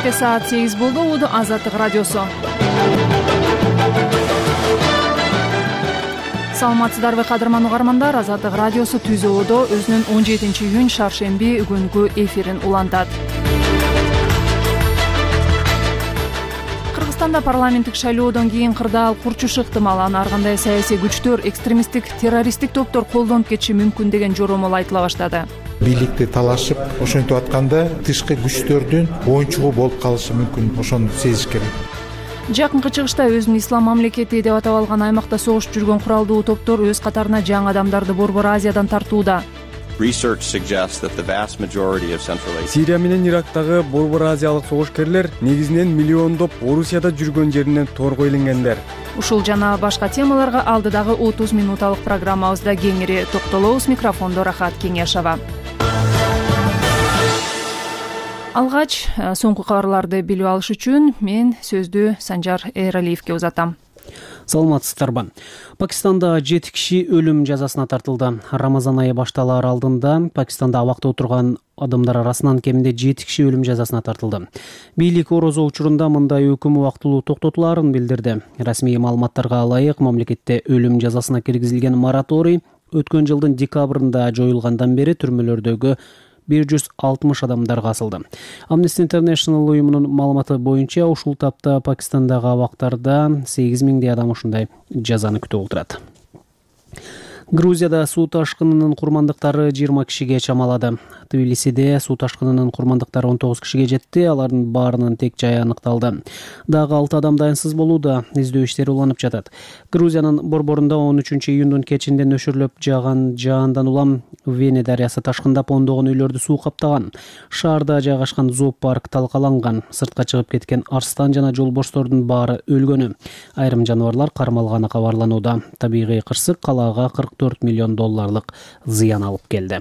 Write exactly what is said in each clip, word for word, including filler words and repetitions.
Кечке саат сегиз болду. Уду Азаттык радиосу. Саламатсыздарбы кадырман угармандар. Азаттык радиосу Түзөөдө өзүнүн он жетинчи июнь шаршемби күнгү эфирин улантат. Кыргызстанда парламенттик шайлоодон кийин кырдаал курчушу ыктымал. Аны ар кандай саясий күчтөр, экстремисттик, террористтик топтор колдонуп кетиши мүмкүн деген жоромол айтыла баштады. Бийликти талашып, ошентип атканда тышкы күчтөрдүн оюнчугу болуп калышы мүмкүн. Ошону сезиш керек. Жакынкы чыгышта өзүн ислам мамлекети деп атап алган аймакта согуш жүргөн куралдуу топтор өз катарына жаңы адамдарды Борбор Азиядан тартууда. Сирия менен Ирактагы Борбор Азиялык согушкерлер негизинен миллиондоп Орусияда жүргөн жеринен торго иленгендер. Ушул жана башка темаларга алдыдагы отуз минуталык программабызда кеңири токтолобуз. Микрофондо Рахат Кеңешова. Алгач соңку кабарларды билип алыш үчүн мен сөздү Санжар Эралиевке узатам. Саламатсыздарбы. Пакистанда жети киши өлүм жазасына тартылды. Рамазан айы башталаар алдында Пакистанда абакта отурган адамдар арасынан кеминде жети киши өлүм жазасына тартылды. Бийлик орозо учурунда мындай өкүм убактылуу токтотулаарын билдирди. Расмий маалыматтарга ылайык, мамлекетте өлүм жазасына киргизилген мораторий өткөн жылдын декабрында жоюлгандан бери түрмөлөрдөгү бир жүз алтымыш адамдарга асылды. Amnesty International уюмунун маалыматы боюнча ушул тапта Пакистандагы абактарда сегиз миңдей адам ушундай жазаны күтүп отурат. Грузияда суу ташкынынын курмандыктары жыйырма кишиге чамалады. Тбилисиде суу ташкынынын курмандыктары он тогуз кишиге жетти. Алардын баарынын тек жайы аныкталды. Дагы алты адам дайынсыз болууда. Издөө иштери уланып жатат. Грузиянын борборунда он үчүнчү июндун кечинде нөшөрлөп жааган жаандан улам Вене дарыясы ташкындап ондогон үйлөрдү суу каптаган. Шаарда жайгашкан зоопарк талкаланган. Сыртка чыгып кеткен арстан жана жолборстордун баары өлгөнү. Айрым жаныбарлар кармалганы кабарланууда. Табигый кырсык калаага кырк төрт миллион долларлык зыян алып келди.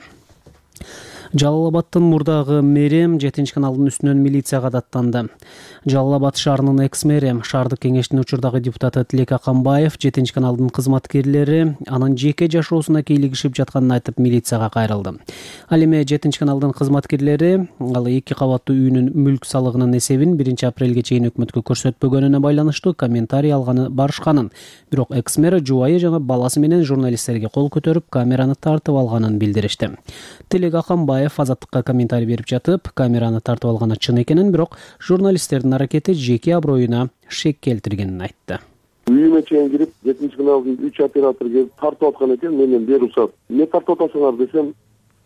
Жалал-Абадтын мурдагы мэри жетинчи каналдын үстүнөн милицияга даттанды. Жалал-Абад шаарынын экс-мэри, шаардык кеңештин учурдагы депутаты Тилек Акамбаев жетинчи каналдын кызматкерлери анын жеке жашоосуна кийлигишип жатканын айтып милицияга кайрылды. Ал эми жетинчи каналдын кызматкерлери ал эки кабаттуу үйүнүн мүлк салыгынын эсебин биринчи апрелге чейин өкмөткө көрсөтпөгөнүнө байланыштуу комментарий алганы барышканын, бирок экс-мэр жубайы жана баласы менен журналисттерге кол көтөрүп камераны тартып алганын билдиришти. Тилек Акамбаев Азаттыкка комментарий берип жатып, камераны тартып алганы чын экенин, бирок журналисттердин аракети жеке аброюна шек келтиргенин айтты. Үйүмө чейин кирип, жетинчи каналдын үч оператору келип тартып аткан экен, менен берушат. Эмне тартып атасыңар десем,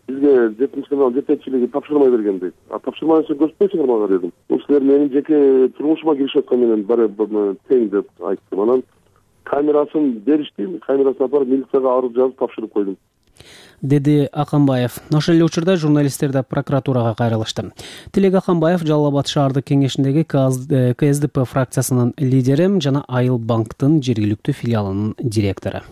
бизге жетинчи канал жетекчилиги тапшырмай берген дейт. А тапшырмасын көрсөтпөйсүңөр мага дедим. Бул силер менин жеке турмушума киришип аткан менен бары тең деп айттым. Анан камерасын беришти, камерасын апарып милицияга арыз жазып тапшырып койдум, деди Акамбаев. Ошол эле учурда журналисттер да прокуратурага кайрылышты. Тилек Акамбаев Жалал-Абад шаардык кеңешиндеги ка эс дэ пэ фракциясынын лидери жана Айыл банктын жергиликтүү филиалынын директору.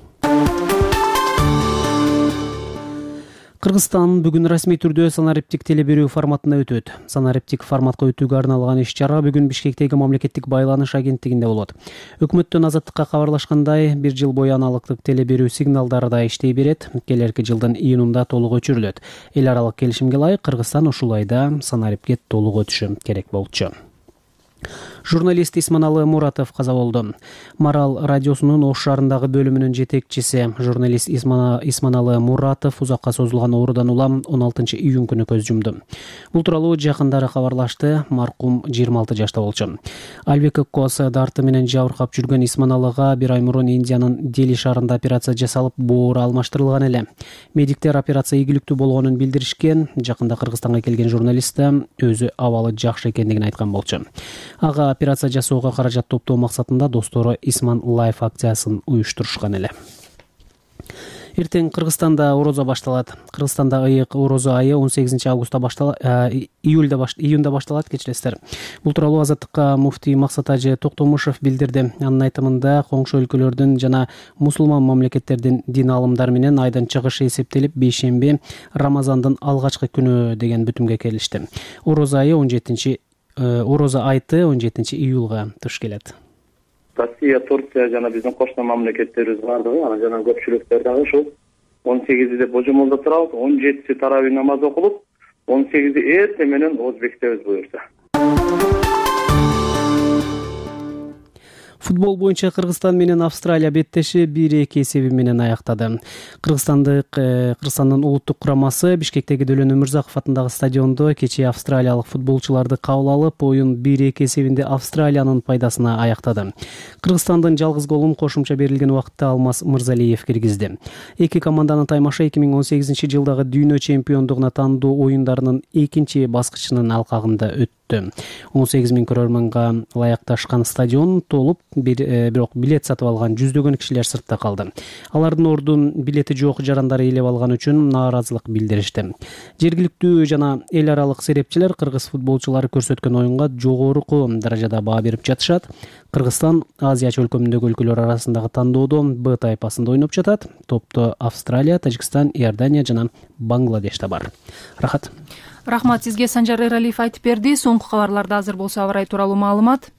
Кыргызстан бүгүн расмий түрдө санариптик теле берүү форматына өтөт. Санариптик форматка өтүүгө арналган иш-чара бүгүн Бишкектеги мамлекеттик байланыш агенттигинде болот. Өкмөттөн Азаттыкка кабарлашкандай, бир жыл бою аналыктык теле берүү сигналдары да иштей берет. Келерки жылдын июнунда толук өчүрүлөт. Эл аралык келишимге ылайык Кыргызстан ушул айда санарипке толук өтүшү керек болчу. Журналист Исманалы Муратов каза болду. Марал радиосунун Ош шаарындагы бөлүмүнүн жетекчиси журналист Исманалы Муратов узакка созулган оорудан улам он алтынчы июнь күнү көз жумду. Бул тууралуу жакындары кабарлашты. Маркум жыйырма алты жашта болчу. Альбек Кокос дарты менен жабыркап жүргөн Исманалыга бир ай мурун Индиянын Дели шаарында операция жасалып, боору алмаштырылган эле. Медиктер операция ийгиликтүү болгонун билдиришкен. Жакында Кыргызстанга келген журналист да өзү абалы жакшы экендигин айткан болчу. Ага операция жасоого каражат топтоо максатында достору Исман Лайф акциясын уюштурушкан эле. Эртең Кыргызстанда орозо башталат. Кыргызстанда ыйык орозо айы он сегизинчи августта башталат, июльда баш, июнда башталат, кечиресиздер. Бул тууралуу Азаттыкка муфтий Максат Ажы Токтомушев билдирди. Анын айтымында коңшу өлкөлөрдүн жана мусулман мамлекеттердин дин аалымдары менен айдын чыгышы эсептелип бейшемби Рамазандын алгачкы күнү деген бүтүмгө келишти. Орозо айы он жетинчи орозо айты он жетинчи июлга туш келет. Россия, Турция жана биздин кошуна мамлекеттерибиз бардыгы, анан жана көпчүлүктөр дагы ушул он сегизи деп божомолдоп турабыз. он жетиси таравih намаз окулуп, он сегизи эртең менен Озбектебиз буюрса. Футбол боюнча Кыргызстан менен Австралия беттеши бир эки эсеби менен аяктады. Кыргызстандык Кыргызстандын улуттук курамасы Бишкектеги Дөлөн Өмүрзаков атындагы стадиондо кечээ австралиялык футболчуларды кабыл алып, оюн бир эки эсебинде Австралиянын пайдасына аяктады. Кыргызстандын жалгыз голун кошумча берилген убакытта Алмаз Мырзалиев киргизди. Эки команданын таймашы эки миң он сегизинчи жылдагы дүйнө чемпиондугуна тандоо оюндарынын экинчи баскычынын алкагында өттү. он сегиз миң көрөрманга ылайыкташкан стадион толуп, бирок билет сатып алган жүздөгөн кишилер сыртта калды. Алардын ордун билети жок жарандар ээлеп алган үчүн нааразылык билдиришти. Жергиликтүү жана эл аралык серепчилер кыргыз футболчулары көрсөткөн оюнга жогорку даражада баа берип жатышат. Кыргызстан Азия чөлкөмүндөгү өлкөлөр арасындагы тандоодо Б тайпасында ойноп жатат. Топто Австралия, Тажикстан, Иордания жана Бангладеш да бар. Рахат. Рахмат сизге, Санжар Эралиев айтып берди. Соңку кабарларда азыр болсо аба ырайы тууралуу маалымат.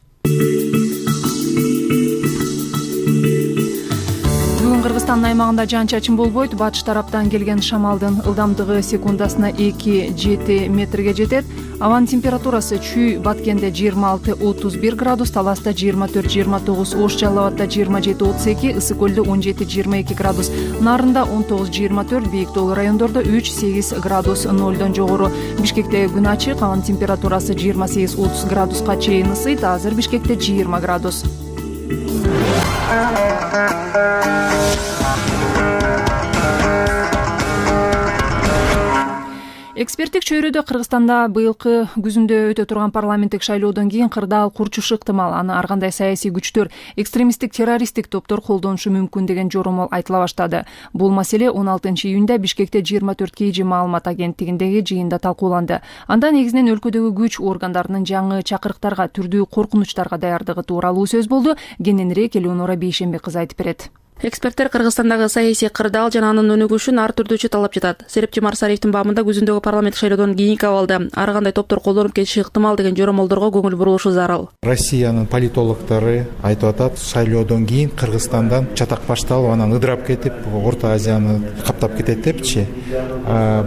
Бүгүн Кыргызстандын аймагында жаан-чачын болбойт. Батыш тараптан келген шамалдын ылдамдыгы секундасына эки жети метрге жетет. Абанын температурасы чүй Баткенде жыйырма алты отуз бир градус, Таласта жыйырма төрт жыйырма тогуз, Ош Жалал Абадда жыйырма жети отуз эки, Ысык Көлдө он жети жыйырма эки градус, Нарында он тогуз жыйырма төрт, Бийик Тоолуу райондордо үч сегиз градус нолдон жогору. Бишкекте күн ачык, абанын температурасы жыйырма сегиз отуз градуска чейин ысыйт. Азыр Бишкекте жыйырма градус. Эксперттик чөйрөдө Кыргызстанда быйылкы күзүндө өтө турган парламенттик шайлоодон кийин кырдаал курчушу ыктымал. Аны ар кандай саясий күчтөр, экстремисттик террористтик топтор колдонушу мүмкүн деген жоромол айтыла баштады. Бул маселе он алтынчы июнда Бишкекте жыйырма төрт кей жи маалымат агенттигиндеги жыйында талкууланды. Анда негизинен өлкөдөгү күч органдарынын жаңы чакырыктарга, түрдүү коркунучтарга даярдыгы тууралуу сөз болду. Кененирээк Элеонора Бейшембек кызы айтып берет. Эксперттер Кыргызстандагы саясий кырдаал жана анын өнүгүшүн ар түрдүү чаталап жатат. Серепчи Марсариевдин баамында күзүндөгү парламенттик шайлоодон кийинки абалда ар кандай топтор колдонуп кетиши ыктымал деген жоромолдорго көңүл бурулушу зарыл. Россиянын политологдору айтып атат, шайлоодон кийин Кыргызстандан чатак башталып, анан ыдырап кетип, Орто Азияны каптап кетет депчи.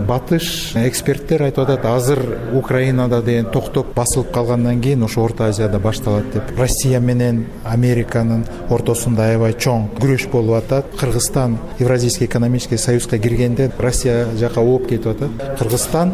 Батыш эксперттер айтып атат, азыр Украинада деген токтоп басылып калгандан кийин ошо Орто Азияда башталат деп. Россия менен Американын ортосунда аябай чоң күрөш болуп атат. Кыргызстан Евразийский экономический союзга киргенде Россия жака ооп кетип атат. Кыргызстан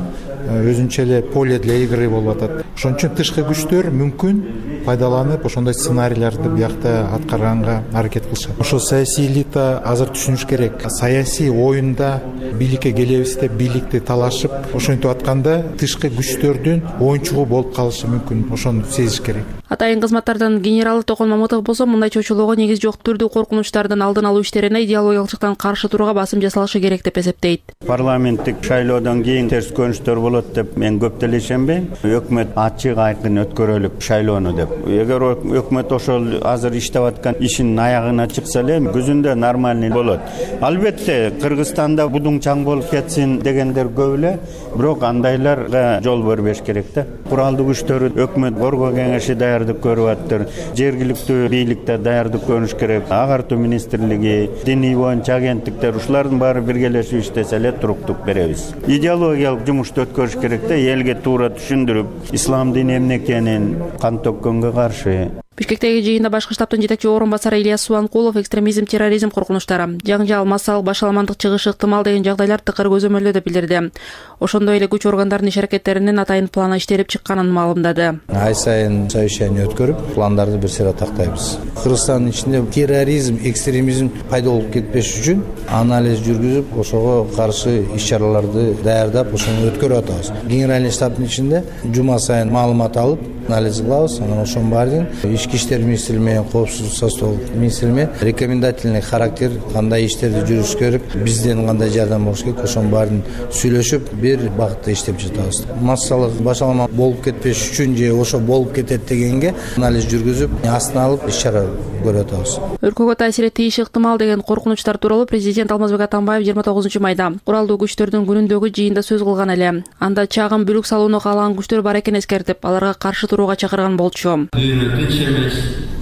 өзүнчө эле поле для игры болуп атат. Ошон үчүн тышкы күчтөр мүмкүн пайдаланып ошондой сценарийлерди биякта аткарганга аракет кылышат. Ошо саясий элита азыр түшүнүш керек. Саясий оюнда бийликке келебиз деп бийликти талашып, ошентип атканда тышкы күчтөрдүн оюнчугу болуп калышы мүмкүн. Ошону сезиш керек. Атайын кызматтардын генералы Токон Мамытов болсо, мындай чочулоого негиз жок түрдүү коркунучтардын алдын алуу иштерине идеологиялык жактан каршы турууга басым жасалышы керек деп эсептейт. Парламенттик шайлоодон кийин терс көрүнүштөр болот деп мен көп деле ишенбейм. Өкмөт ачык айкын өткөрөлүк шайлоону деп. Эгер өкмөт ошол азыр иштеп аткан ишин аягына чыкса эле күзүндө нормальный болот. Албетте Кыргызстанда будуң чаң болуп кетсин дегендер көп эле, бирок андайларга жол бербеш керек да. Куралдуу күчтөр, өкмөт, Борго кеңеши даярдык көрүп аттыр. Жергиликтүү бийликте даярдык көрүш керек. Агартуу министрлиги, диний боюнча агенттиктер, ушулардын баары биргелешип иштесе эле туруктук беребиз. Идеологиялык жумушту өткөрүш керек да, элге туура түшүндүрүп, ислам дини эмне экенин, кан төккөнгө каршы. Бишкектеги жыйында башкы штабтын жетекчи орун басары Ильяс Субанкулов экстремизм, терроризм коркунучтары, жаңжал, массалык башаламандык чыгышы ыктымал деген жагдайлар тыкыр көзөмөлдө деп билдирди. Ошондой эле күч органдарынын иш аракеттеринин атайын планы иштелип чыкканын маалымдады. Ай сайын совещание өткөрүп, пландарды бир сыйра тактайбыз. Кыргызстандын ичинде терроризм, экстремизм пайда болуп кетпеш үчүн анализ жүргүзүп, ошого каршы иш-чараларды даярдап, ошону өткөрүп атабыз. Генеральный штабтын ичинде жума сайын маалымат алып, анализ кылабыз. Анан ошонун баарын Ички иштер министрлиги менен коопсуздук состав министрлиги менен рекомендательный характер кандай иштерди жүргүзүш керек, бизден кандай жардам болуш керек, ошонун баарын сүйлөшүп бир багытта иштеп жатабыз. Массалык башалма болуп кетпеш үчүн же ошо болуп кетет дегенге анализ жүргүзүп, астына алып иш-чара көрүп атабыз. Өлкөгө таасир этиши ыктымал деген коркунучтар тууралуу президент Алмазбек Атамбаев жыйырма тогузунчу майда куралдуу күчтөрдүн күнүндөгү жыйында сөз кылган эле. Анда чагым бүлүк салууну каалаган күчтөр бар экенин эскертип, аларга каршы турууга чакырган болчу.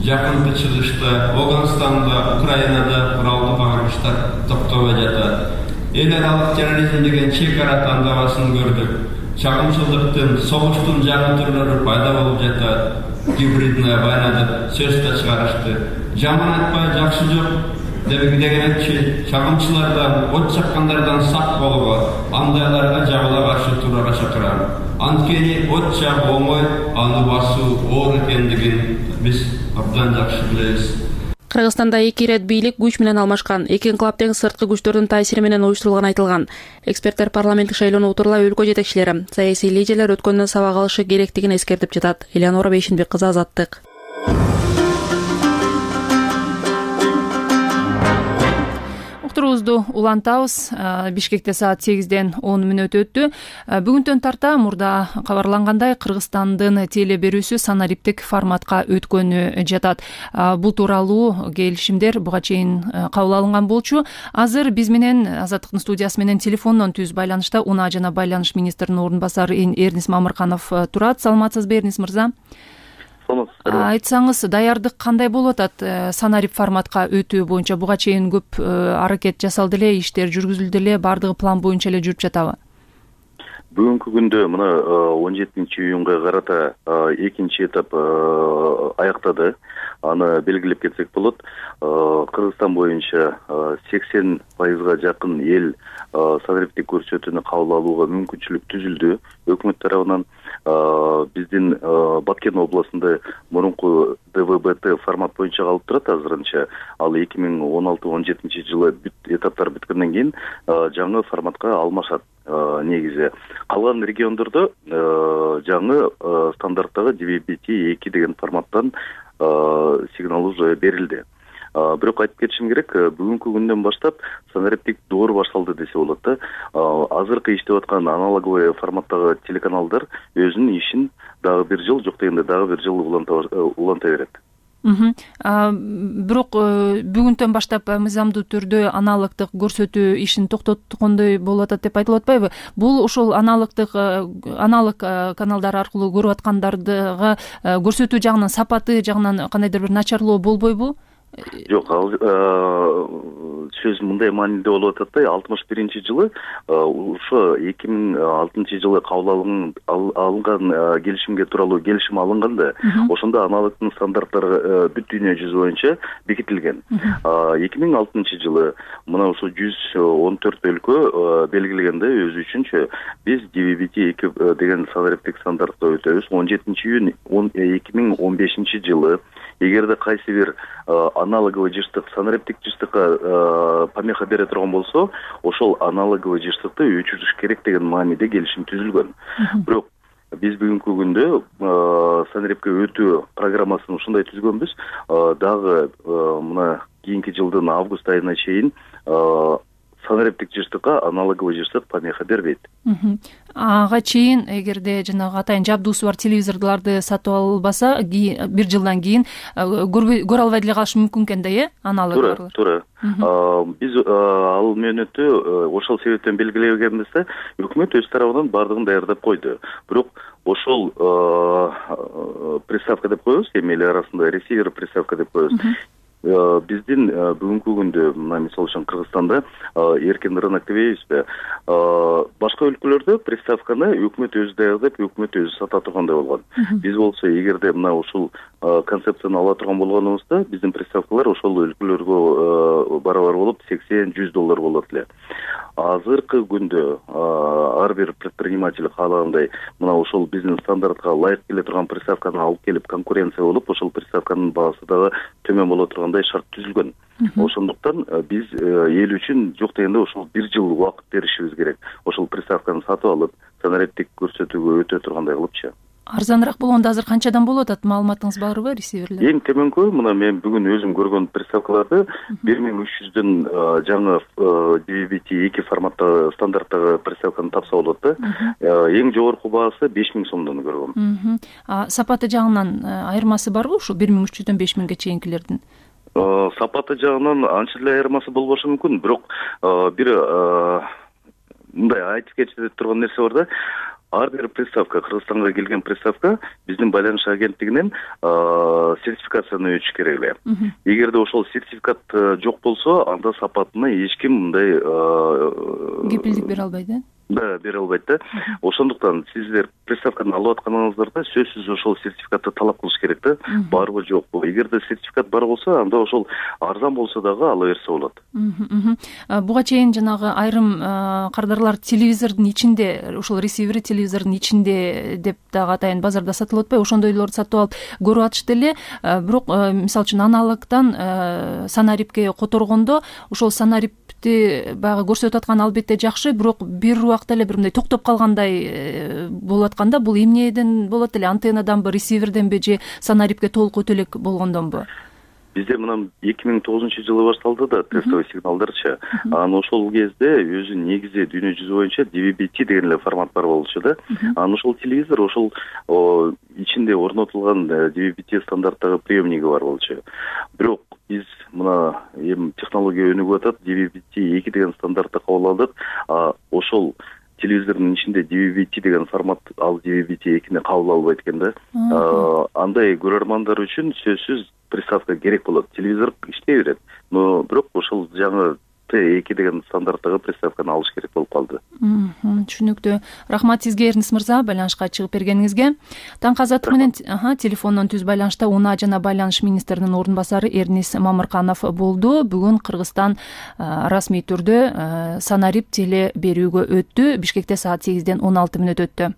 Жакынкы чыгышта Афганистанда, Украинада куралдуу багыштар токтобой жатат. Эл аралык терроризм деген чек ара тандабасын көрдүк. чагымчылыктын, согуштун жаңы түрлөрү пайда болуп жатат. Гибридная война деп сөз да чыгарышты. Жаман айтпай жакшы жок дегенчи чагымчылардан, от чаккандардан сак болууга, андайларга жабыла каршы турууга чакырам. Анткени от жагуу оңой, аны басуу оор экендигин биз абдан жакшы билебиз. Кыргызстанда эки ирет бийлик күч менен алмашкан. Эки инкылап тең сырткы күчтөрдүн таасири менен уюштурулганы айтылган. Эксперттер парламенттик шайлоону утурлай өлкө жетекчилери, саясий лидерлер өткөндөн сабак алышы керектигин эскертип жатат. Элеонора Бейшинбек кызы, Азаттык. Уктуруубузду улантабыз. Бишкекте саат сегизден он мүнөт өттү. Бүгүнтөн тарта мурда кабарлангандай Кыргызстандын теле берүүсү санариптик форматка өткөнү жатат. Бул тууралуу келишимдер буга чейин кабыл алынган болчу. Азыр биз менен Азаттыктын студиясы менен телефондон түз байланышта унаа жана байланыш министринин орун басары Эрнис Мамырканов турат. Саламатсызбы, Эрнис мырза? Айтсаңыз, даярдык кандай болуп атат санарип форматка өтүү боюнча? Буга чейин көп аракет жасалды эле, иштер жүргүзүлдү эле, бардыгы план боюнча эле жүрүп жатабы? Бүгүнкү күндө мына он жетинчи июнга карата экинчи этап аяктады. Аны белгилеп кетсек болот. Кыргызстан боюнча сексен пайызга жакын эл санариптик көрсөтүүнү кабыл алууга мүмкүнчүлүк түзүлдү өкмөт тарабынан. Биздин Баткен областында мурунку дэ вэ бэ тэ формат боюнча калып турат азырынча. Ал эки миң он алты он жетинчи жылы этаптар бүткөндөн кийин жаңы форматка алмашат негизи. Калган региондордо жаңы стандарттагы ди ви би ти эки деген форматтан сигнал уже берилди. Бирок айтып кетишим керек, бүгүнкү күндөн баштап санариптик доор башталды десе болот да. Азыркы иштеп аткан аналоговый форматтагы телеканалдар өзүнүн ишин дагы бир жыл, жок дегенде дагы бир жыл уланта берет. Бирок бүгүнтөн баштап мыйзамдуу түрдө аналогдук көрсөтүү ишин токтоткондой болуп атат деп айтылып атпайбы? Бул ошол аналогдук аналог каналдар аркылуу көрүп аткандардыга көрсөтүү жагынан, сапаты жагынан кандайдыр бир начарлоо болбойбу? Жок, ал сөз мындай мааниде болуп атат да. алтымыш биринчи жылы ошо эки миң алтынчы жылы кабыл алынган келишимге тууралуу келишим алынганда, ошондо аналогдун стандарттары бүт дүйнө жүзү боюнча бекитилген. эки миң алтынчы жылы мына ошо жүз он төрт өлкө белгилегенде өзү үчүнчө биз ди ви би ти эки деген санариптик стандартка өтөбүз. он жетинчи июнь эки миң он бешинчи жылы эгерде кайсы бир аналоговый жыштык санариптик жыштыкка помеха бере турган болсо, ошол аналоговый жыштыкты өчүрүш керек деген мааниде келишим түзүлгөн. Бирок биз бүгүнкү күндө санарипке өтүү программасын ушундай түзгөнбүз. Дагы мына кийинки жылдын август айына чейин санариптик жыштыкка аналоговый жыштык помеха бербейт. Ага чейин эгерде жанагы атайын жабдуусу бар телевизорлорду сатып албаса, бир жылдан кийин көрө албай деле калышы мүмкүн экен да, э? Аналоглор. Туура, туура. Биз ал мөөнөттү ошол себептен белгилегенбиз да, өкмөт өз тарабынан бардыгын даярдап койду. Бирок ошол приставка деп коебуз, эми эл арасында ресивер приставка деп коебуз. Биздин бүгүнкү күндө мына мисалы үчүн Кыргызстанда эркин рынок дебейбизби? Башка өлкөлөрдө приставканы өкмөт өзү даярдап, өкмөт өзү сата тургандай болгон. Биз болсо эгерде мына ушул концепцияны ала турган болгонубузда, биздин приставкалар ошол өлкөлөргө барабар болуп сексен жүз доллар болот эле. Азыркы күндө ар бир предприниматель каалагандай мына ошол биздин стандартка ылайык келе турган приставканы алып келип конкуренция болуп, ошол приставканын баасы дагы төмөн боло тургандай шарт түзүлгөн. Ошондуктан биз эл үчүн жок дегенде ошол бир жыл убакыт беришибиз керек. Ошол приставканы сатып алып, санариптик көрсөтүүгө өтө тургандай кылыпчы. Арзаныраак болгондо азыр канчадан болуп атат? Маалыматыңыз барбы, ресиверлер? Эң төмөнкү мына мен бүгүн өзүм көргөн приставкаларды бир миң үч жүздөн жаңы ди ви би ти эки форматта стандарттагы приставканы тапса болот да. Эң жогорку баасы беш миң сомдон көргөм. Сапаты жагынан айырмасы барбы ушул бир миң үч жүздөн беш миңге чейинкилердин? Сапаты жагынан анча эле айырмасы болбошу мүмкүн, бирок бир мындай айтып кетип турган нерсе бар да. Ар бир приставка, Кыргызстанга келген приставка биздин байланыш агенттигинен сертификацияны өтүш керек эле. Эгерде ошол сертификат жок болсо, анда сапатына эч ким мындай кепилдик бере албайт, э? да бере албайт да. Ошондуктан сиздер приставканы алып атканыңыздарда сөзсүз ошол сертификатты талап кылыш керек да. Барбы жокпу? Эгерде сертификат бар болсо, анда ошол арзан болсо дагы ала берсе болот. Буга чейин жанагы айрым кардарлар телевизордун ичинде, ушул ресивери телевизордун ичинде деп дагы атайын базарда сатылып атпайбы? Ошондойлорду сатып алып көрүп атышты эле. Бирок мисалы үчүн аналогтон санарипке которгондо ошол санарипти баягы көрсөтүп аткан албетте жакшы, бирок бир убакта эле бир мындай токтоп калгандай болуп атканда, бул эмнеден болот эле? Антеннаданбы, ресиверденби же санарипке толук өтө элек болгондонбу? Бизде мына эки миң тогузунчу жылы башталды да тестовый сигналдарчы. Анан ошол кезде өзү негизи дүйнө жүзү боюнча ди ви би ти деген эле формат бар болчу да. Анан ошол телевизор ошол ичинде орнотулган ди ви би ти стандарттагы приемниги бар болчу. Бирок биз мына эми технология өнүгүп атат, ди ви би ти эки деген стандартты кабыл алдык. Ошол телевизордун ичинде ди ви би ти деген формат ал ди ви би ти экини кабыл албайт экен да. Андай көрөрмандар үчүн сөзсүз приставка керек болот. Телевизор иштей берет, но бирок ошол жаңы тэ эки деген стандарттагы приставканы алыш керек болуп калды. Түшүнүктүү. Рахмат сизге, Эрнис мырза, байланышка чыгып бергениңизге. Таңкы азаттык менен телефондон түз байланышта унаа жана байланыш министринин ордун басары Эрнис Мамырканов болду. Бүгүн Кыргызстан расмий түрдө санарип теле берүүгө өттү. Бишкекте саат сегизден он алты мүнөт өттү.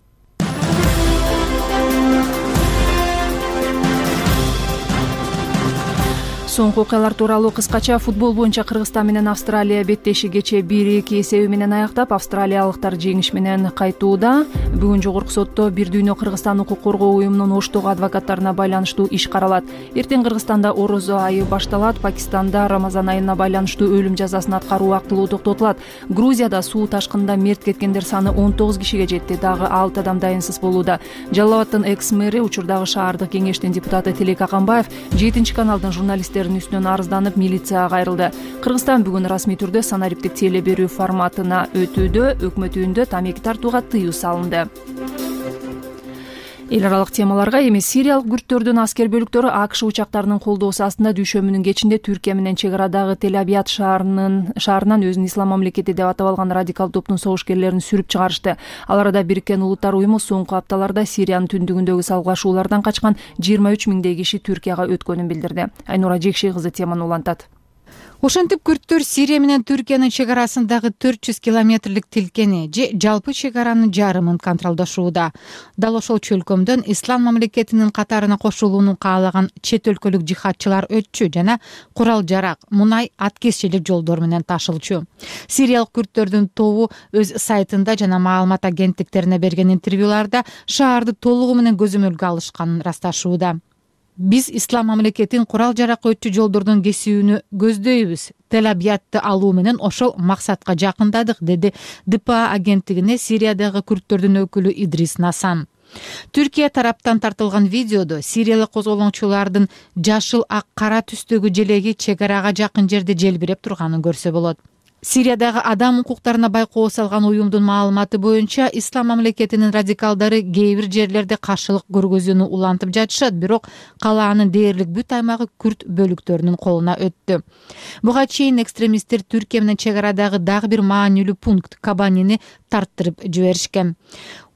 Соңку окуялар тууралуу кыскача. Футбол боюнча Кыргызстан менен Австралия беттеши кечээ бир эки эсеби менен аяктап, австралиялыктар жеңиш менен кайтууда. Бүгүн жогорку сотто Бир дүйнө Кыргызстан укук коргоо уюмунун Оштогу адвокаттарына байланыштуу иш каралат. Эртең Кыргызстанда орозо айы башталат. Пакистанда Рамазан айына байланыштуу өлүм жазасын аткаруу убактылуу токтотулат. Грузияда суу ташкынында мерт кеткендер саны он тогуз кишиге жетти. Дагы алты адам дайынсыз болууда. Жалал Абадтын экс-мэри, учурдагы шаардык кеңештин депутаты Тилек Аканбаев жетинчи каналдын журналисттери үстүнөн арызданып милицияга кайрылды. Кыргызстан бүгүн расмий түрдө санариптик теле берүү форматына өтүүдө. Өкмөт үйүндө тамеки тартууга тыюу салынды. Эл аралык темаларга эми сириялык күрттөрдүн аскер бөлүктөрү АКШ учактарынын колдоосу астында дүйшөмүнүн кечинде Түркия менен чек арадагы Тель-Абияд шаарынын шаарынан өзүн ислам мамлекети деп атап алган радикал топтун согушкерлерин сүрүп чыгарышты. Ал арада Бириккен Улуттар уюму соңку апталарда Сириянын түндүгүндөгү салгылашуулардан качкан жыйырма үч миңдей киши Түркияга өткөнүн билдирди. Айнура Жекшей кызы теманы улантат. Ошентип күрттөр Сирия менен Түркиянын чек арасындагы төрт жүз километрлик тилкени же жалпы чек аранын жарымын контролдошууда. Дал ошол чөлкөмдөн ислам мамлекетинин катарына кошулууну каалаган чет өлкөлүк жихадчылар өтчү жана курал жарак, мунай, ат кесчилик жолдор менен ташылчу. Сириялык күрттөрдүн тобу өз сайтында жана маалымат агенттиктерине берген интервьюларда шаарды толугу менен көзөмөлгө алышканын ырасташууда. Биз ислам мамлекетин курал жарак өтчү жолдордон кесүүнү көздөйбүз. Тель-Абиядты алуу менен ошол максатка жакындадык, деди ди пэ а агенттигине Сириядагы күрттөрдүн өкүлү Идрис Насан. Түркия тараптан тартылган видеодо сириялык козголоңчулардын жашыл ак кара түстөгү желеги чек арага жакын жерде желбиреп турганын көрсө болот. Сириядагы адам укуктарына байкоо салган уюмдун маалыматы боюнча ислам мамлекетинин радикалдары кээ бир жерлерде каршылык көргөзүүнү улантып жатышат, бирок калаанын дээрлик бүт аймагы күрт бөлүктөрүнүн колуна өттү. Буга чейин экстремисттер Түркия менен чек арадагы дагы бир маанилүү пункт Кабанини тарттырып жиберишкен.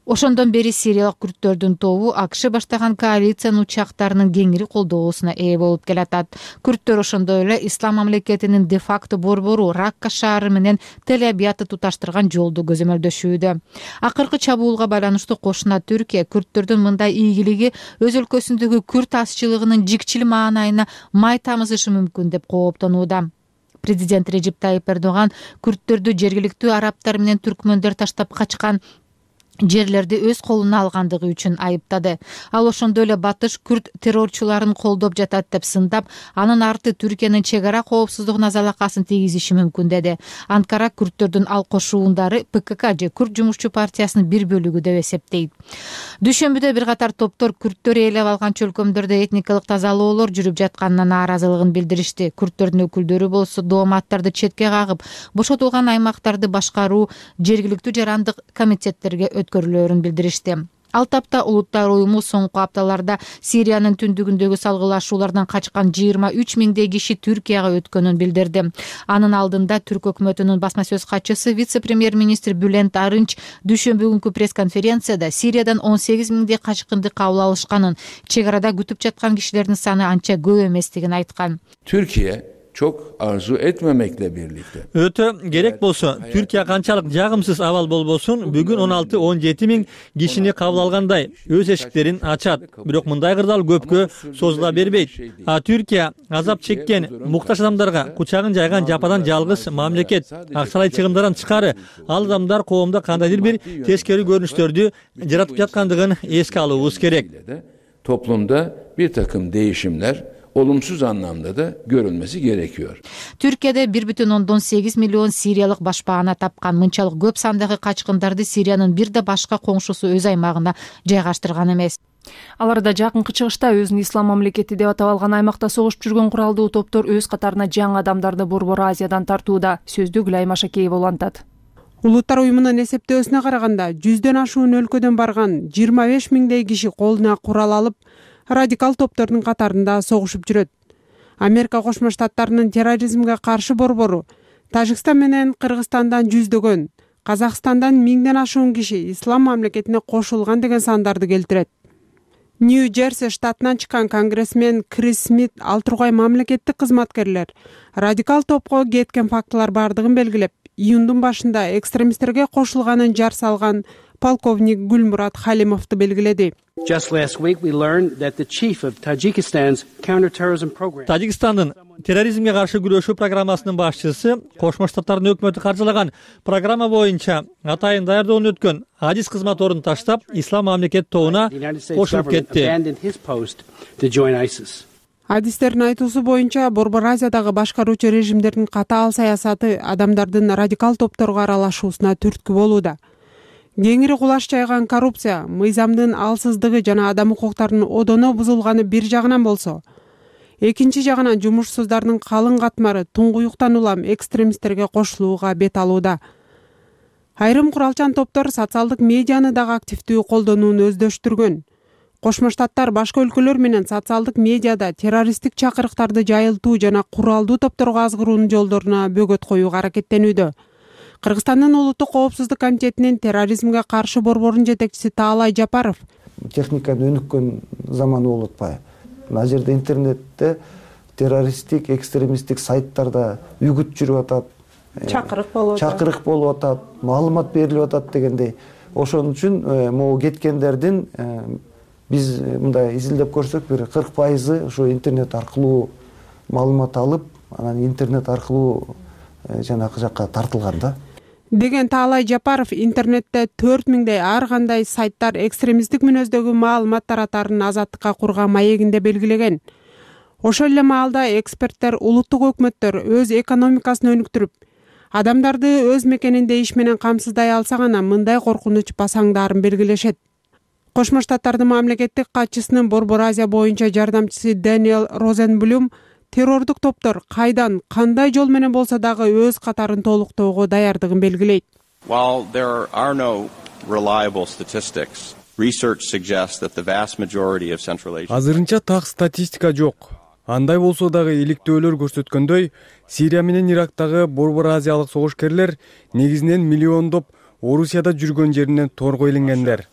Ошондон бери сириялык күрттөрдүн тобу АКШ баштаган коалициянын учактарынын кеңири колдоосуна ээ болуп келатат. Күрттөр ошондой эле ислам мамлекетинин де-факто борбору Ракка шаары менен Тель-Абиядты туташтырган жолду көзөмөлдөшүүдө. Акыркы чабуулга байланыштуу кошуна Түркия күрттөрдүн мындай ийгилиги өз өлкөсүндөгү күрт азчылыгынын жикчил маанайына май тамызышы мүмкүн деп кооптонууда. Президент Режеп Тайип Эрдоган күрттөрдү жергиликтүү арабтар менен түркмөндөр таштап качкан жерлерди өз колуна алгандыгы үчүн айыптады. Ал ошондой эле батыш күрт террорчуларын колдоп жатат деп сындап, анын арты Түркиянын чек ара коопсуздугуна залакасын тийгизиши мүмкүн деди. Анкара күрттөрдүн ал кошуундары пэ ка ка же Күрт жумушчу партиясынын бир бөлүгү деп эсептейт. Дүйшөмбүдө бир катар топтор күрттөр ээлеп алган чөлкөмдөрдө этникалык тазалоолор жүрүп жатканына нааразылыгын билдиришти. Күрттөрдүн өкүлдөрү болсо дооматтарды четке кагып, бошотулган аймактарды башкаруу жергиликтүү жарандык комитеттерге өткөрүлөөрүн билдиришти. Ал тапта Улуттар уюму соңку апталарда Сириянын түндүгүндөгү салгылашуулардан качкан жыйырма үч миңдей киши Түркияга өткөнүн билдирди. Анын алдында Түрк өкмөтүнүн басма сөз катчысы вице-премьер-министр Бülent Arınç дүйшөмбү күнкү пресс-конференцияда Сириядан он сегиз миңдей качкынды кабыл алышканын, чек арада күтүп жаткан кишилердин саны анча көп эместигин айткан. Türkiye çok arzu etmemekle birlikte. Ötө керек болсо, Түркия канчалык жагымсыз абал болбосун, бүгүн он алты он жети миң кишини кабыл алгандай өз эшиктерин ачат. Бирок мындай кырдаал көпкө созула бербейт. А Түркия азап чеккен муктаж адамдарга кучагын жайган жападан жалгыз мамлекет. Акчалай чыгымдардан тышкары ал адамдар коомдо кандайдыр бир тескери көрүнүштөрдү жаратып жаткандыгын эске алуубуз керек. Toplumda bir takım değişimler olumsuz anlamda da görülmesi gerekiyor. Türkiye'de bir бүтүн ондон сегиз миллион сириялык башпаана тапкан. Мынчалык көп сандагы качкындарды Сириянын бир да башка коңшусу өз аймагына жайгаштырган эмес. Алар да жакынкы чыгышта өзүн ислам мамлекети деп атап алган аймакта согушуп жүргөн куралдуу топтор өз катарына жаңы адамдарды Борбор Азиядан тартууда. Сөздү Гүлай Машакеева улантат. Улуттар уюмунун эсептөөсүнө караганда жүздөн ашуун өлкөдөн барган жыйырма беш миңдей киши колуна курал алып радикал топтордун катарында согушуп жүрөт. Америка Кошмо Штаттарынын терроризмге каршы борбору Тажикстан менен Кыргызстандан жүздөгөн, Казакстандан миңден ашуун киши ислам мамлекетине кошулган деген сандарды келтирет. Нью-Джерси штатынан чыккан конгрессмен Крис Смит ал тургай мамлекеттик кызматкерлер радикал топко кеткен фактылар бардыгын белгилеп, июндун башында экстремисттерге кошулганын жар салган полковник Гүлмурат Халимовду белгиледи. Тажикстандын терроризмге каршы күрөшүү программасынын башчысы Кошмо Штаттардын өкмөтү каржылаган программа боюнча атайын даярдоону өткөн адис кызматорун таштап, ислам мамлекет тобуна кошулуп кетти. Адистердин айтуусу боюнча Борбор Азиядагы башкаруучу режимдердин катаал саясаты адамдардын радикал топторго аралашуусуна түрткү болууда. Кеңири кулаш жайган коррупция, мыйзамдын алсыздыгы жана адам укуктарынын одоно бузулганы бир жагынан болсо, экинчи жагынан жумушсуздардын калың катмары туңгуюктан улам экстремисттерге кошулууга бет алууда. Айрым куралчан топтор социалдык медианы дагы активдүү колдонууну өздөштүргөн. Кошмо Штаттар башка өлкөлөр менен социалдык медиада террористтик чакырыктарды жайылтуу жана куралдуу топторго азгыруунун жолдоруна бөгөт коюуга аракеттенүүдө. Кыргызстандын улуттук коопсуздук комитетинин терроризмге каршы борборунун жетекчиси Таалай Жапаров техниканын өнүккөн заманы болуп атпайбы? Мына жерде интернетте террористтик, экстремисттик сайттарда үгүт жүрүп атат, чакырык болуп атат, чакырык болуп атат, маалымат берилип атат дегендей. Ошон үчүн могу кеткендердин биз мындай изилдеп көрсөк, бир кырк пайызы ошо интернет аркылуу маалымат алып, анан интернет аркылуу жанакы жакка тартылган да. Деген Таалай Жапаров интернетте төрт миңдей ар кандай сайттар экстремисттик мүнөздөгү маалымат таратарын азаттыкка курган маегинде белгилеген. Ошол эле маалда эксперттер улуттук өкмөттөр өз экономикасын өнүктүрүп, адамдарды өз мекенинде иш менен камсыздай алса гана мындай коркунуч басаңдаарын белгилешет. Кошмо Штаттардын мамлекеттик катчысынын Борбор Азия боюнча жардамчысы Дэниел Розенблюм террордук топтор кайдан, кандай жол менен болсо дагы өз катарын толуктоого даярдыгын белгилейт. While there are no reliable statistics, research suggests that the vast majority of Central Asia. Азырынча так статистика жок. Андай болсо дагы иликтөөлөр көрсөткөндөй, Сирия менен Ирактагы Борбор Азиялык согушкерлер негизинен миллиондоп Орусияда жүргөн жеринен торго илингендер.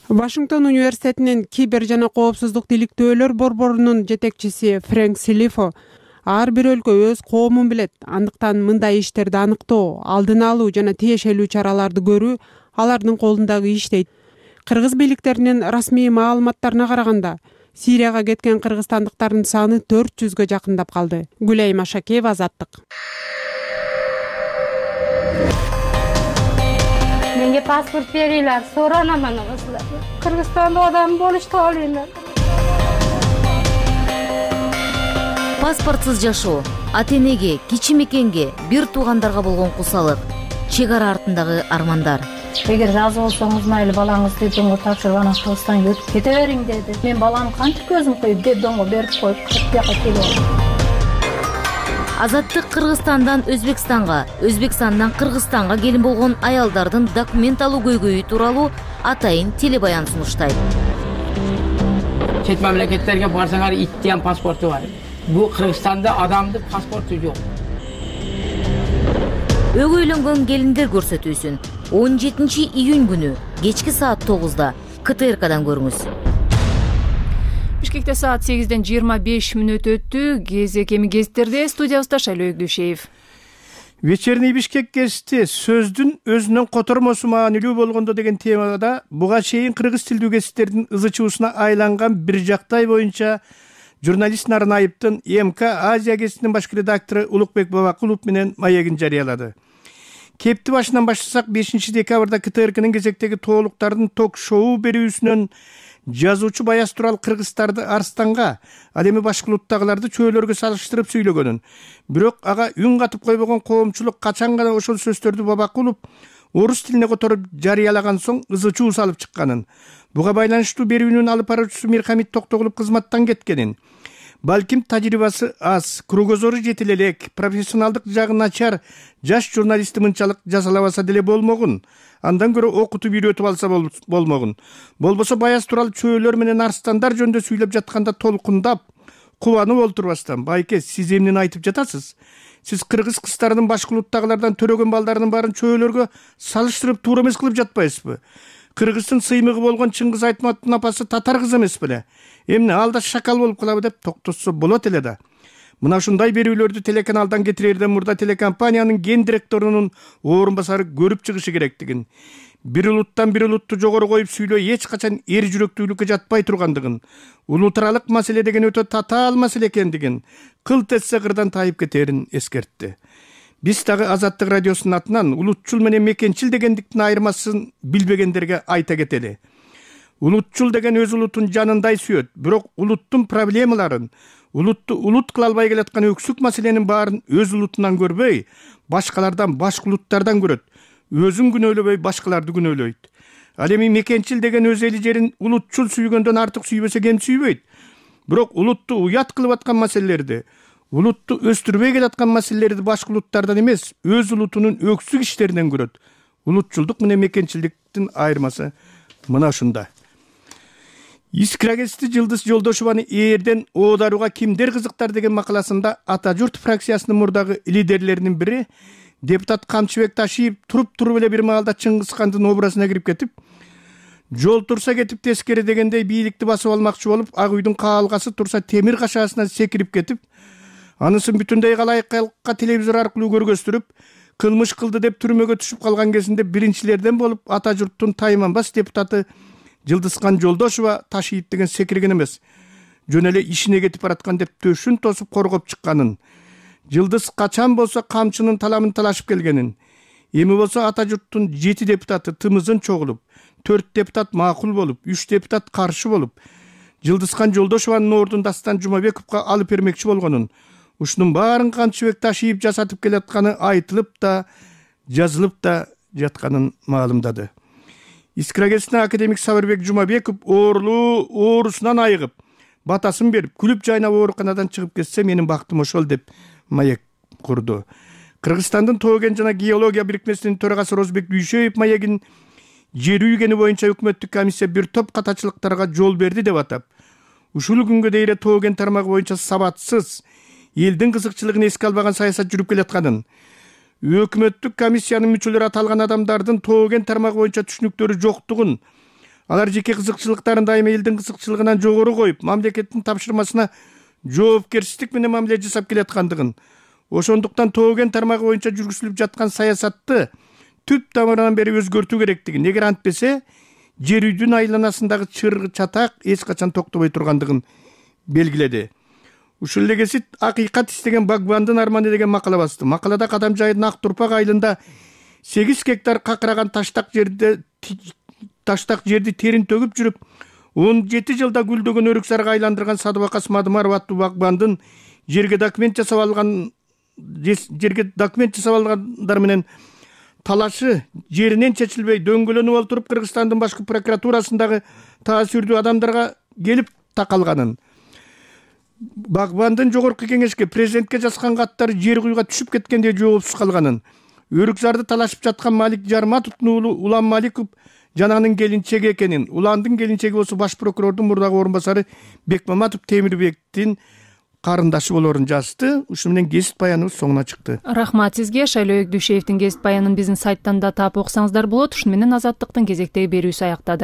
Вашингтон университетинин кибер жана коопсуздук иликтөөлөр борборунун жетекчиси Фрэнк Силифо ар бир өлкө өз коомун билет, андыктан мындай иштерди аныктоо, алдын алуу жана тиешелүү чараларды көрүү алардын колундагы иш дейт. Кыргыз бийликтеринин расмий маалыматтарына караганда, Сирияга кеткен кыргызстандыктардын саны төрт жүзгө жакындап калды. Гүлай Машакеева, Азаттык. Menga pasport beringlar, so'ranaman sizlar. Qirg'izistonda odam bo'lishni olinglar. Паспортсыз жашоо, ата-энеге, кичи мекенге, бир туугандарга болгон кусалык, чек ара артындагы армандар. Эгер разы болсоңуз, майлы балаңызды доңго тапшырып, анан Кыргызстанга өтүп кете бериң деди. Мен баламды кантип көзүм коюп, деп доңго берип коюп, бияка келип. Азаттык Кыргызстандан Өзбекстанга, Өзбекстандан Кыргызстанга келин болгон аялдардын документ алуу көйгөйү тууралуу атайын телебаян сунуштайт. Чет мамлекеттерге барсаңар иттен паспорту бар. Бул Кыргызстанда адамдын паспорту жок. Өгөйлөнгөн келиндер көрсөтүүсүн он жетинчи июнь күнү кечки саат тогузда ка тэ эр кадан көрүңүз. Бишкекте саат сегизден жыйырма беш мүнөт өттү. Кезек эми гезиттерде, студиябызда Шайлоо Өгдөшеев. Вечерний Бишкек гезити сөздүн өзүнүн котормосу маанилүү болгондо деген темада буга чейин кыргыз тилдүү гезиттердин ызычуусуна айланган бир жактай боюнча журналист Нарнаевдин эм ка Азия гезитинин баш редактору Улукбек Бабакулов менен маегин жарыялады. Кепти башынан баштасак, бешинчи декабрда ка тэ эр кнын кезектеги тоолуктардын ток-шоу берүүсүнөн жазуучу Баяз Турал кыргыздарды Арстанга, ал эми башка улуттагыларды чөөлөргө салыштырып сүйлөгөнүн, бирок ага үн катып койбогон коомчулук качан гана ошол сөздөрдү Бабакулов орус тилине которуп жарыялаган соң ызычуу салып чыкканын, буга байланыштуу берүүнүн алып баруучусу Мирхамит Токтогулов кызматтан кеткенин, балким тажрыйбасы аз, кругозору жетил элек, профессионалдык жагы начар жаш журналистти мынчалык жазалабаса деле болмогун, андан көрө окутуп үйрөтүп алса болмогун. Болбосо Баяз Турал чөөлөр менен арстандар жөнүндө сүйлөп жатканда толкундап, кубанып олтурбастан, байке, сиз эмнени айтып жатасыз? Сиз кыргыз кыздардын башка улуттагылардан төрөгөн балдарынын баарын чөөлөргө салыштырып туура эмес кылып жатпайсызбы? Кыргыздын сыймыгы болгон Чыңгыз Айтматовдун апасы татар кыз эмес беле? Эмне алда шакал болуп калабы деп токтотсо болот эле да. Мына ушундай берүүлөрдү телеканалдан кетирерден мурда телекомпаниянын ген директорунун орун басары көрүп чыгышы керектигин, бир улуттан бир улутту жогору коюп сүйлөө эч качан эр жүрөктүүлүккө жатпай тургандыгын, улут аралык маселе деген өтө татаал маселе экендигин, кылт этсе кырдан тайып кетерин эскертти. Биз дагы Азаттык радиосунун атынан улутчул менен мекенчил дегендиктин айырмасын билбегендерге айта кетели. Улутчул деген өз улутун жанындай сүйөт, бирок улуттун проблемаларын, улутту улут кыла албай келаткан өксүк маселенин баарын өз улутунан көрбөй, башкалардан, башка улуттардан көрөт. Өзүн күнөөлөбөй, башкаларды күнөөлөйт. Ал эми мекенчил деген өз эли жерин улутчул сүйгөндөн артык сүйбөсө кем сүйбөйт. Бирок улутту уят кылып аткан маселелерди, улутту өстүрбөй келаткан маселелерди башка улуттардан эмес, өз улутунун өксүк иштеринен көрөт. Улутчулдук менен мекенчилдиктин айырмасы мына ушунда. Искра гезити Жылдыз Жолдошованы ээрден оодаруга кимдер кызыктар деген макаласында Ата журт фракциясынын мурдагы лидерлеринин бири депутат Камчыбек Ташиев туруп-туруп эле бир маалда Чыңгызхандын образына кирип кетип, жол турса кетип тескери дегендей бийликти басып алмакчы болуп, Ак үйдүн каалгасы турса темир кашаасынан секирип кетип, анысын бүтүндөй калайыкка телевизор аркылуу көргөстүрүп, кылмыш кылды деп түрмөгө түшүп калган кезинде биринчилерден болуп Ата журттун тайманбас депутаты Жылдызхан Жолдошова Ташиев деген секирген эмес, жөн эле ишине кетип бараткан деп төшүн тосуп коргоп чыкканын, Жылдыз качан болсо камчынын таламын талашып келгенин, эми болсо Ата журттун жети депутаты тымызын чогулуп, төрт депутат макул болуп, үч депутат каршы болуп, Жылдызхан Жолдошованын ордун Дастан Жумабековго алып бермекчи болгонун, ушунун баарын Камчыбек Ташиев жасатып келатканы айтылып да, жазылып да жатканын маалымдады. Искра гезитине академик Сабырбек Жумабеков оорулуу оорусунан айыгып, батасын берип, күлүп жайнап ооруканадан чыгып кетсе менин бактым ошол деп маек курду. Кыргызстандын Тоо-кен жана геология бирикмесинин төрагасы Розбек Дүйшөев маегин жер үйгени боюнча өкмөттүк комиссия бир топ катачылыктарга жол берди деп атап, ушул күнгө дейин Тоо-кен тармагы боюнча сабатсыз, элдин кызыкчылыгын эске албаган саясат жүрүп келатканын, өкмөттүк комиссиянын мүчөлөрү аталган адамдардын Тоо-кен тармагы боюнча түшүнүктөрү жоктугун, алар жеке кызыкчылыктарын дайыма элдин кызыкчылыгынан жогору коюп, мамлекеттин тапшырмасына жоопкерчилик менен мамиле жасап келаткандыгын, ошондуктан Тоо-кен тармагы боюнча жүргүзүлүп жаткан саясатты түп тамырынан бери өзгөртүү керектигин, эгер антпесе жер үйдүн айланасындагы чыр чатак эч качан токтобой тургандыгын белгиледи. Ушул эле гезит акыйкат истеген багбандын арманы деген макала басты. Макалада Кадам жайдын Ак Турпак айылында сегиз гектар какыраган таштак жерде таштак жерди терин төгүп жүрүп, он жети жылда гүлдөгөн өрүк сарга айландырган Садыбакас Мадымаров аттуу багбандын жерге документ жасап алган жерге документ жасап алгандар менен талашы жеринен чечилбей дөңгөлөнүп олтуруп Кыргызстандын башкы прокуратурасындагы таасирдүү адамдарга келип такалганын, Багбандын жогорку кеңешке президентке жазган каттары жер куюга түшүп кеткенде жоопсуз калганын, Өрүкзарды талашып жаткан Малик Жарматовдун уулу Улан Маликов жананын келинчеги экенин, Уландын келинчеги болсо баш прокурордун мурдагы орун басары Бекмаматов Темирбектин карындашы болорун жазды. Ушуну менен кесип баяныбыз соңуна чыкты. Рахмат сизге. Шайлоо Өкдүшевдин кесип баянын биздин сайттан да таап окусаңыздар болот. Ушуну менен Азаттыктын кезектеги берүүсү аяктады.